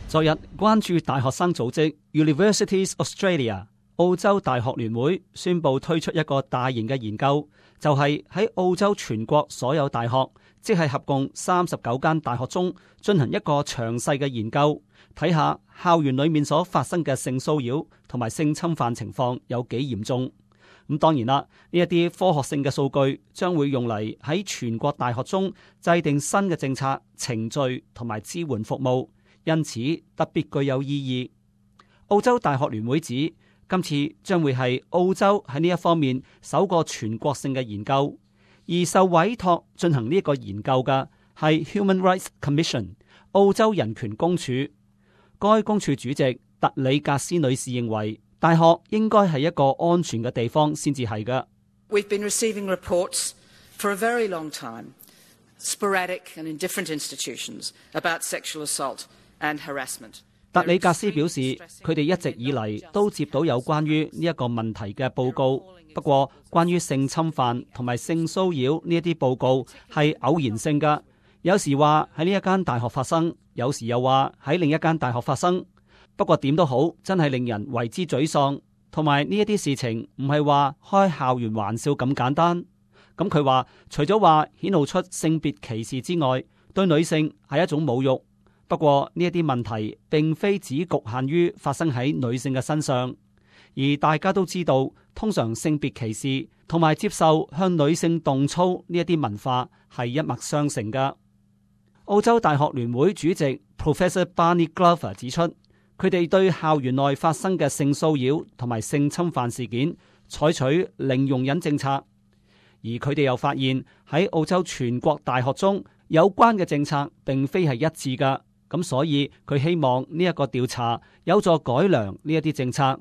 昨日關注大學生組織 Universities Australia 澳洲大學聯會宣布推出一個大型嘅研究，就係喺澳洲全國所有大學，即係合共39間大學中進行一個詳細嘅研究，睇下校園裏面所發生嘅性騷擾同埋性侵犯情況有幾嚴重。咁當然啦，呢一啲科學性嘅數據將會用嚟喺全國大學中制定新嘅政策、程序同埋支援服務。因此特別具有意義。澳洲大學聯會指，今次將會係澳洲喺呢一方面首個全國性嘅研究，而受委託進行呢一個研究嘅係 Human Rights Commission 澳洲人權公署。該公署主席特里格斯女士認為，大學應該係一個安全嘅地方先至係嘅。We've been receiving reports for a very long time, sporadic and in different institutions, about sexual assault and harassment. 特里格斯表示，佢哋一直以嚟都接到有關於呢一個問題嘅報告，不過關於性侵犯同埋性騷擾呢一啲報告係偶然性㗎，有時話喺呢一間大學發生，有時又話喺另一間大學發生。不過點都好，真係令人為之沮喪，同埋呢一啲事情唔係話開校園玩笑咁簡單。咁佢話，除咗話顯露出性別歧視之外，對女性係一種侮辱。不過呢一啲問題並非只局限於發生喺女性嘅身上，而大家都知道，通常性別歧視同埋接受向女性動粗呢一啲文化係一脈相承㗎。澳洲大學聯會主席 Professor Barney Glover 指出，佢哋對校園內發生嘅性騷擾同埋性侵犯事件採取零容忍政策，而佢哋又發現喺澳洲全國大學中有關嘅政策並非係一致㗎。咁所以佢希望呢一個調查有助改良呢一啲政策。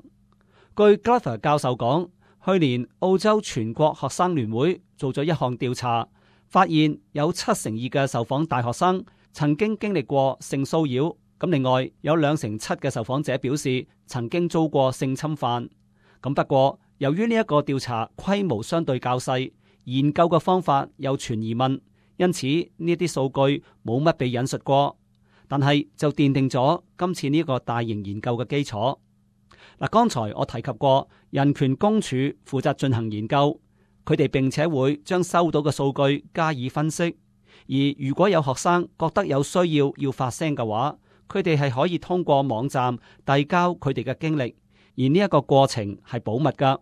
據 Glover 教授講，去年澳洲全國學生聯會做咗一項調查，發現有72%嘅受訪大學生曾經經歷過性騷擾。咁另外有2成7嘅受訪者表示曾經遭過性侵犯。咁不過由於呢一個調查規模相對較細，研究嘅方法有存疑問，因此呢啲數據冇乜被引述過。但係就奠定咗今次呢個大型研究嘅基礎。嗱，剛才我提及過，人權公署負責進行研究，佢哋並且會將收到嘅數據加以分析。而如果有學生覺得有需要發聲嘅話，佢哋係可以通過網站遞交佢哋嘅經歷，而呢一個過程係保密噶。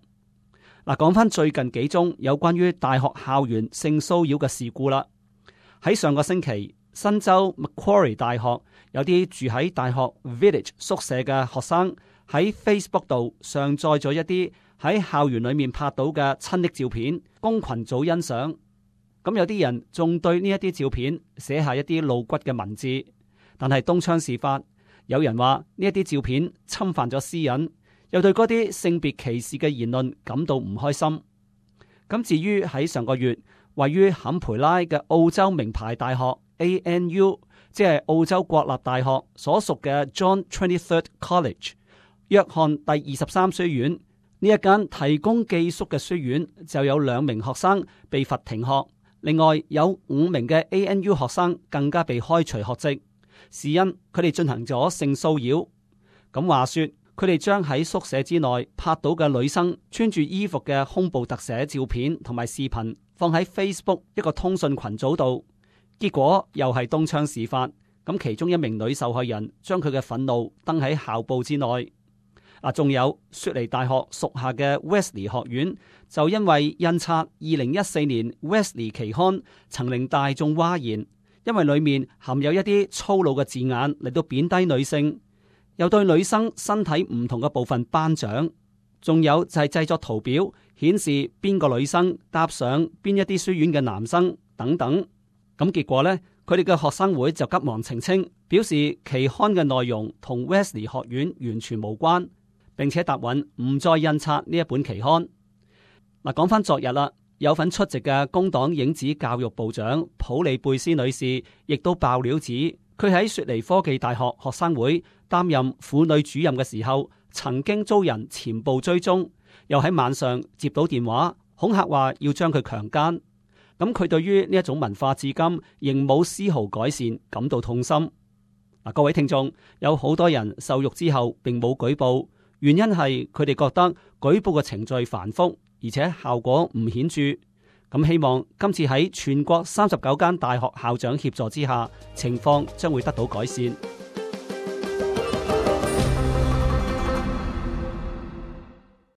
嗱，講翻最近幾宗有關於大學校園性騷擾嘅事故啦。喺上個星期，新州 Macquarie 大學有啲住喺大學 Village 宿舍嘅學生喺 Facebook 度上載咗一啲喺校園裏面拍到嘅親昵照片，供群組欣賞。咁有啲人仲對呢一啲照片寫下一啲露骨嘅文字，但係東窗事發，有人話呢一啲照片侵犯咗私隱，又對嗰啲性別歧視嘅言論感到唔開心。咁至於喺上個月位於坎培拉嘅澳洲名牌大學ANU， 即係澳洲國立大學所屬嘅 John 23rd College 約翰第23書院，呢一間提供寄宿嘅書院就有2名學生被罰停學，另外有5名嘅 ANU 學生更加被開除學籍，是因佢哋進行咗性騷擾。咁話說，佢哋將喺宿舍之內拍到嘅女生穿住衣服嘅胸部特寫照片同埋視頻放喺 Facebook 一個通訊群組度。結果又係東窗事發，咁其中一名女受害人將佢嘅憤怒登喺校報之內。仲有雪梨大學屬下嘅 Wesley 學院，就因為印刷2014年 Wesley 期刊曾令大眾譁然，因為裏面含有一啲粗魯嘅字眼嚟到貶低女性，又對女生身體唔同嘅部分頒獎，仲有就係製作圖表顯示邊個女生搭上邊一啲書院嘅男生等等。咁結果呢，佢哋嘅學生會就急忙澄清，表示期刊嘅內容同 Wesley 學院完全無關，並且答允唔再印刷呢一本期刊。嗱，講翻昨日啦，有份出席嘅工黨影子教育部長普利貝斯女士，亦都爆料指，佢喺雪梨科技大學學生會擔任婦女主任嘅時候，曾經遭人前部追蹤，又喺晚上接到電話恐嚇話要將佢強姦。咁佢對於呢一種文化至今仍冇絲毫改善感到痛心。各位聽眾，有好多人受辱之後並冇舉報，原因係佢哋覺得舉報嘅程序繁複，而且效果唔顯著。咁希望今次喺全國39間大學校長協助之下，情況將會得到改善。